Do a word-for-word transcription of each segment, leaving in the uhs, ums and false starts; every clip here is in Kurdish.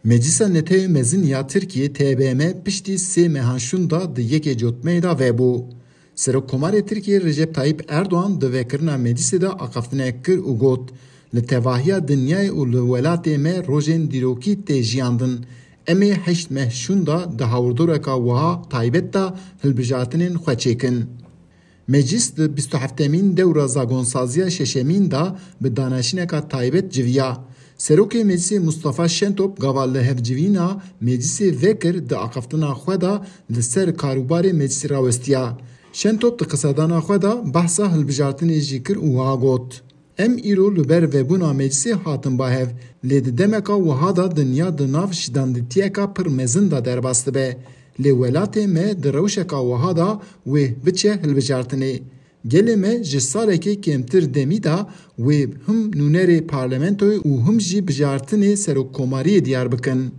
Meclisa Netewê Mezin ya Tirkiyê, T B M, piştî sê meha şûnda di yekê cotmeyê de vebû. Serokkomarê Tirkiyê Recep Tayyip Erdoğan di vekirina meclisê de axaftinek kir û got, Li tevahiya dinyayê û li welatê me rojên dîrokî tê jiyandin. Em ê heşt meh şûnda di hawirdoreka wiha taybet de hilbijartinên xwe çêkin. Meclis di bîst û heftemîn dewra zagonsaziya şeşemîn de bi danaşîneka taybet civiya. Serokê Meclisê Mustafa Şentop gava lihevcivîna Meclisê vekir di axaftina xwe de li ser karûbarê Meclisê rawestiya. Şentop di qisedana xwe de behsa hilbijartinê jî kir û wiha got, Em îro li ber vebûna Meclisê hatin ba hev, lê di demeka wiha de dinya di nav şidanditiyeka pir mezin de derbas dibe. Lê welatê me di rewşeka wiha de wê biçe hilbijartinê. Gelê me ji salekê kêmtir demî de wê him nûnerê parlamentoyê û him jî bijartinê serokkomariyê diyar bikin.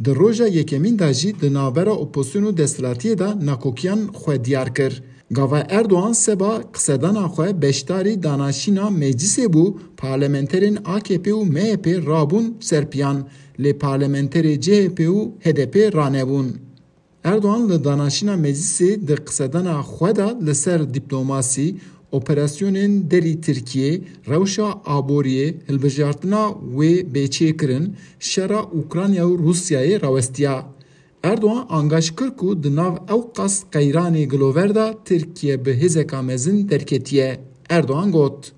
Di roja yekemîn de jî di navbera opozîsyon û desthilatiyê de nakokiyan xwe diyar kir. Gava Erdoğan seba qisedana xwe beşdarî danaşîna meclisê bû, parlamenterên A K P û M H P rabûn ser piyan, lê parlamenterê C H P û H D P ranebûn. Erdoğan li danaşîna meclisê di qisedana xwe de li ser dîplomasî, operasyonên derî Tirkiyê, rewşa aboriyê, hilbijartina wê bêçêkirin, şera Ukrayna û Rûsyayê rawestiya. Erdoğan angaş kir ku di nav ew qas qeyranê gilover de Tirkiye bi hêzeka mezin derketiye. Erdoğan got,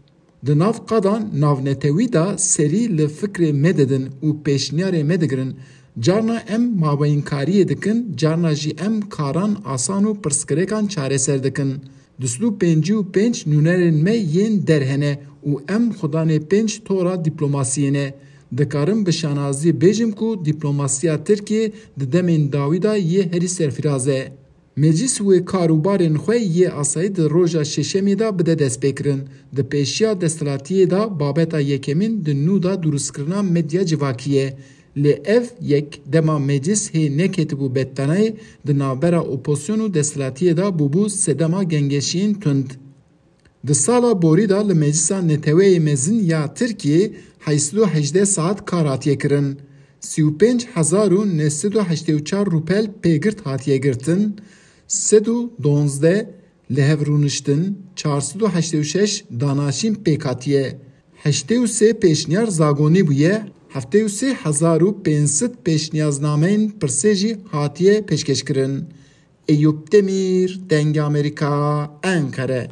Di nav qadan navnetewî de serî li fikrê me didin û pêşniyarê me digirin. Carna em mabeyinkariyê dikin, carna jî em karan asan û pirsgirêkan çareser dikin. Du sed û pêncî û pênc nûnerên me yên der hene û em xudanê pênc tora dîplomasiyê ne. Dikarim bi şanazî bêjim ku dîplomasiya Tirkiyê di demên dawî de yê herî serfiraz e. Meclis wê kar û barên xwe yê asayî di roja şeşemê de bide destpêkirin. Di pêşiya desthilatiyê de babeta yekemîn di nû de durustkirina medya civakî ye. Lê ev yek dema meclis hê neketibû bettanayê, di navbera opozîsyon û desthilatiyê de bûbû sedema gengeşiyên tund. Di sala borî de li Meclisa Neteweyê Mezin ya Tirkiyê heyt sed û hejdeh saet kar hatiye kirin. Sî û pênc hezar û neh sed û heştê û çar rûpel pêgirt hatiye girtin, sed û duwazdeh li hev rûniştin, çar sed û heştê û şeş danaşîn pêk hatiye, heştê û sê pêşniyar zagonî bûye, heftê û sê hezar û pênc sed pêşniyaznameyên pirsê jî hatiye pêşkêşkirin. Eyûp Demîr, Dengê Amerîka, Enqere.